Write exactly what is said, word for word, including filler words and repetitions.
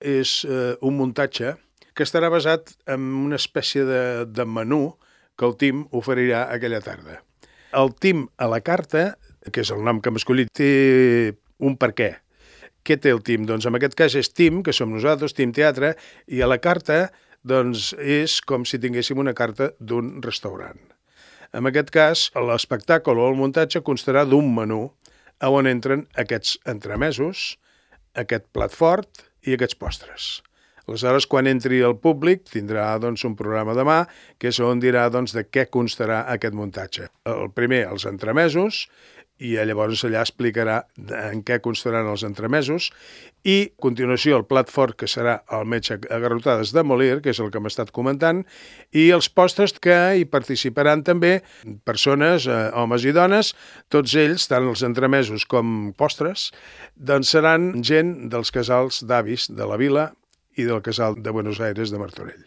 és eh, un muntatge que estarà basat en una espècie de, de menú que el Tim oferirà aquella tarda. El Tim a la carta, que és el nom que hem escollit, té un per què. Què té el Tim? Doncs en aquest cas és Tim, que som nosaltres, Tim Teatre, i a la carta doncs, és com si tinguéssim una carta d'un restaurant. En aquest cas, l'espectacle o el muntatge constarà d'un menú on entren aquests entremesos, aquest plat fort i aquests postres. Aleshores, quan entri el públic, tindrà doncs, un programa de mà, que és on dirà doncs, de què constarà aquest muntatge. El primer, els entremesos, i llavors allà explicarà en què constaran els entremesos, i a continuació el plat fort, que serà el metge a garrotades de Molière, que és el que hem estat comentant, i els postres que hi participaran també persones, eh, homes i dones, tots ells, tant els entremesos com postres, doncs seran gent dels casals d'avis de la vila i del casal de Buenos Aires de Martorell.